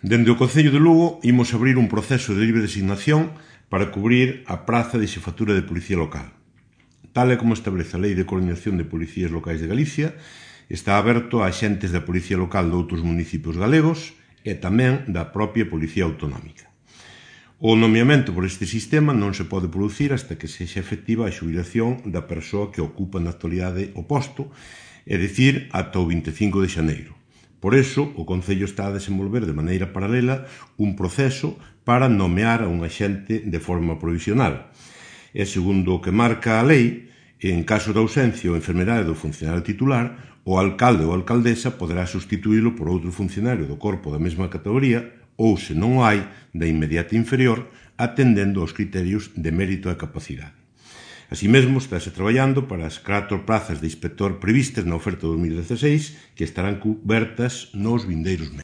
Dende o Concello de Lugo imos abrir un proceso de libre designación para cubrir a praza de xefatura de Policía Local. Tal e como establece a Lei de Coordinación de Policías Locais de Galicia, está aberto a axentes da Policía Local de outros municipios galegos e tamén da propia Policía Autonómica. O nomeamento por este sistema non se pode producir hasta que sexa efectiva a xubilación da persoa que ocupa na actualidade o posto, é dicir, ata o 25 de xaneiro. Por iso, o Concello está a desenvolver de maneira paralela un proceso para nomear a un axente de forma provisional. E segundo o que marca a lei, en caso de ausencia ou enfermedade do funcionario titular, o alcalde ou alcaldesa poderá sustituílo por outro funcionario do corpo da mesma categoría ou, se non o hai, da inmediata inferior, atendendo aos criterios de mérito e capacidade. Así mesmo, estáse traballando para as 4 prazas de inspector previstas na oferta 2016 que estarán cubertas nos vindeiros meses.